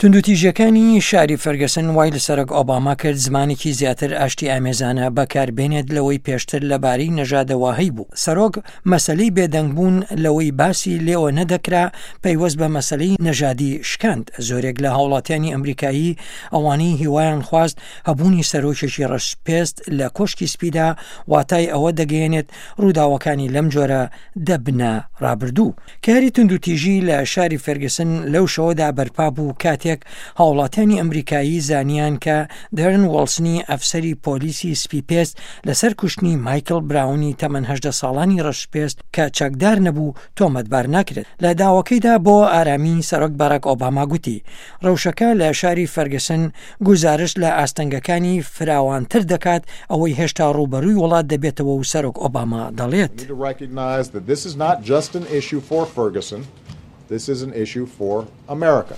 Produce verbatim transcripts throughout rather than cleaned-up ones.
توندوتیژیەکانی شاری فەرگەسن وای لە سەرۆک ئۆباما کرد زمانێکی زیاتر ئاشتی ئامێزانە بەکاربێنێت لەوەی پێشتر لەبارەی نەژادەوە هەیبوو. سەرۆک مەسەلەی بێدەنگبوون لەوەی باسی لێوە نەدەکرا پەیوەست بە مەسەلەی نەژادی شکاند. زۆرێک لە هاوڵاتیانی ئەمریکایی ئەوانەی هیوایان خواست هەبوونی سەرۆکێکی ڕەشپێست لە کۆشکی سپیدا واتای ئەوە دەگەیەنێت ڕووداوەکانی لەم جۆرە دەبنە ڕابردوو. کاری توندوتیژی لە شاری فێرگسن لەو شەوەدا بەرپا بوو کاتێک هاوڵاتیانی ئەمریکایی زانیان کە دەرن وۆڵسنی ئەفسەری پۆلیسی سپیپێست لەسەر کوشتنی مایکل براونی تەمەن هەژدە ساڵانی ڕەشپێست کە چەکدار نەبوو تۆمەتبار ناکرێت. لە داوەکەیدا بۆ ئارامی سەرۆک باراک ئۆباما گوتی ڕەوشەکە لە شاری فەرگسن گوزارشت لە ئاستەنگەکانی فراوانتر دەکات ئەوەی هێشتا ڕووبەرووی وڵات دەبێتەوە و سەرۆک ئۆباما دەڵێت We need to recognize that this is not just an issue for Ferguson, this is an issue for America.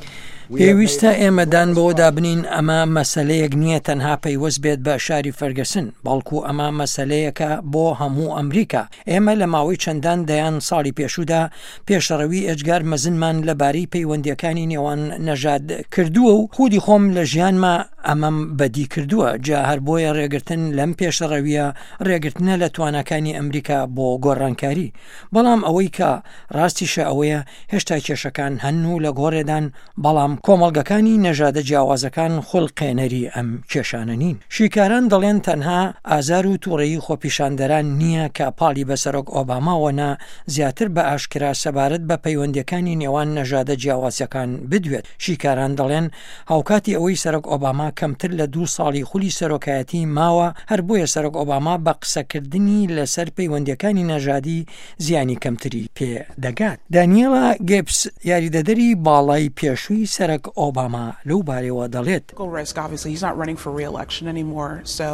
We have made پێویستە ئێمە دان بەوەدا بنین ئەمە مەسەلەیەک نییە تەنها پەیوەست بێت بە شاری فەرگەسن، بەڵکو ئەمە مەسەلەیەکە بۆ هەموو ئەمریکا. ئێمە لە ماوەی چەندان دەیان ساڵی پێشوودا پێشەڕەوی ئێجگار مەزنمان لەبارەی پەیوەندیەکانی نێوان نەژاد کردووە و خودی خۆم لە ژیانما ئەمەم بەدی کردووە. جا هەر بۆیە ڕێگرتن لەم پێشەڕەویە ڕێگرتنە لە تواناکانی ئەمریکا بۆ گۆڕانکاری. بەڵام ئەوەی کە ڕاستیشە ئەوەیە هێشتا کێشەکان هەن و لە گۆڕێدان، بەڵام کۆمەڵگەکانی نەژادە جیاوازەکان خولقێنەری ئەم کێشانە نین. شیکاران دەڵێن تەنها ئازار و تووڕەیی خۆپیشاندەران نییە کە پاڵی بە سەرۆک ئۆباماوە نا زیاتر بە ئاشکرا سەبارەت بە پەیوەندیەکانی نێوان نەژادە جیاوازەکان بدوێت. شیکاران دەڵێن هاوکاتی ئەوەی سەرۆک ئۆباما کەمتر لە دوو ساڵی خولی سەرۆکایەتی ماوە، هەر بۆیە سەرۆک ئۆباما بە قسەکردنی لەسەر پەیوەندیەکانی نەژادی زیانی کەمتری پێ دەگات. دانیێلا گێپس یاریدەدەری باڵای پێشووی سەرۆک ئۆباما لەو بارەوە دەڵێت risk. Obviously, he's not running for re-election anymore, so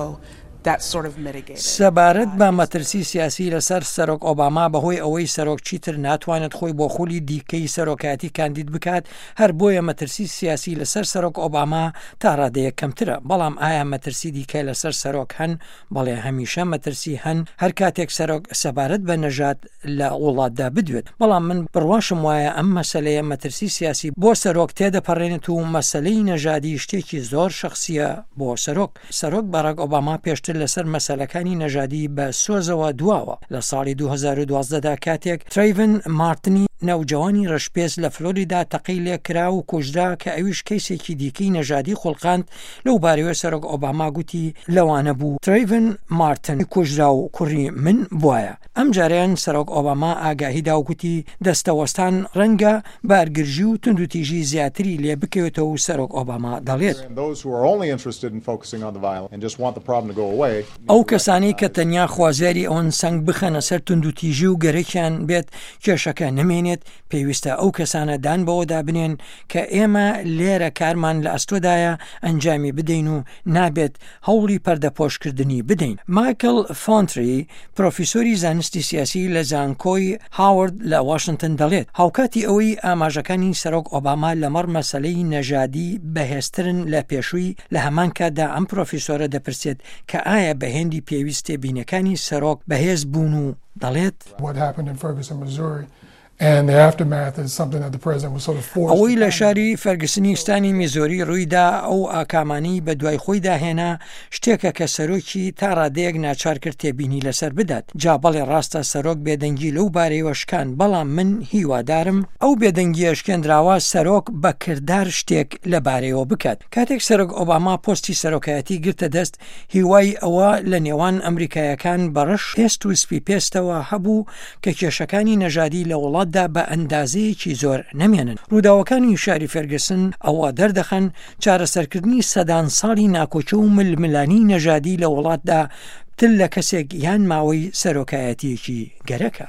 that's sort of mitigated. سەبارەت بە مەترسی سیاسی لەسەر سەرۆک ئۆباما بەهۆی ئەوەی سەرۆک چیتر ناتوانێت خۆی بۆ خولی دیکەی سەرۆکایەتی کاندید بکات، هەر بۆیە مەترسی سیاسی لەسەر سەرۆک ئۆباما تا ڕادەیەک کەمترە. بەڵام ئایا مەترسی دیکە لەسەر سەرۆک هەن؟ بەڵێ، هەمیشە مەترسی هەن هەر کاتێک سەرۆک سەبارەت بە نەژاد لە وڵاتدا بدوێت. بەڵام من بڕواشم وایە ئەم مەسلەیە مەترسی سیاسی بۆ سەرۆک تێدەپەڕێنێت و مەسلەی نەژادی شتێکی زۆر شخصیە بۆ سەرۆک. سەرۆک باراک ئۆباما پێشتر لەسەر مەسلەکانی نەژادی بە سۆزەوە دواوە. لە ساڵی دوو هەزار و دوازدە دا کاتێک ترەیڤن مارتنی نەوجەوانی ڕەشپێست لە فلۆریدا تەقەی لێکرا و کوژرا کە ئەویش کەیسێکی دیکەی نەژادی خوڵقاند، لەو بارەوە سەرۆک ئۆباما گوتی لەوانە بوو ترەیڤن مارتن کوژرا و کوڕی من بواە. ئەم جاریان سەرۆک ئۆباما ئاگاهیدا و گوتی دەستەوەستان ڕەنگە بارگرژی و توندوتیژی زیاتری لێ بکەوێتەوە و سەرۆک ئۆباما دەڵێت And those who are only interested in focusing on the violence and just want the problem to go away ئەو کەسانەی کە تەنیا خوازیاری ئەوەن سەنگ بخەنە سەر توندوتیژی و گەرەکیان بێت کێشەکە نەمێنێت، پێویستە ئەو کەسانە دان بەوەدا بنێن کە ئێمە لێرە کارمان لە ئەستۆدایە ئەنجامی بدەین و نابێت هەوڵی پەردەپۆشکردنی بدەین. مایکل فۆنتری پرۆفیسۆری زانستی سیاسی لە زانکۆی هاوارد لە واشنگتن دەڵێت هاوکاتی ئەوەی ئاماژەکانی سەرۆک ئۆباما لەمەڕ مەسلەی نەژادی بەهێزترن لە پێشووی، لە هەمان کاتدا ئەم پرۆفیسۆرە دەپرسێت کە ئایا بە هێندی پێویست تێبینەکانی سەرۆک بەهێز بوون و دەڵێت What happened in Ferguson, Missouri, and the aftermath is something that the president was sort of forced ئەوەی to لە comment شاری فەرگسنی ستانی میزۆری ڕوویدا ئەو ئاکامانی بە دوای خۆیدا هێنا شتێکە کە سەرۆکی تا ڕادەیەک ناچار کرد تێبینی لەسەر بدات. جا بەڵێ ڕاستە سەرۆک بێدەنگی لەو بارەیەوە شکان، بەڵام من هیوادارم ئەو بێدەنگیە شکێنراوە سەرۆک بە کردار شتێک لەبارەیەوە بکات. کاتێک سەرۆک ئۆباما پۆستی سەرۆکایەتی گرتە دەست، هیوای ئەوە لە نێوان ئەمریکایەکان بەڕەش پێست و سپی پێستەوە هەبوو کە کێشەکانی نەژادی لە وڵاتدا بە ئەندازەیەکی زۆر نەمێنن. ڕووداوەکانی شاری فێرگسن ئەوە دەردەخەن چارەسەرکردنی سەدان ساڵی ناکۆکی و ململانی نەژادی لە وڵاتدا تر لە کەسێک یان ماوەی سەرۆکایەتیەکی گەرەکە.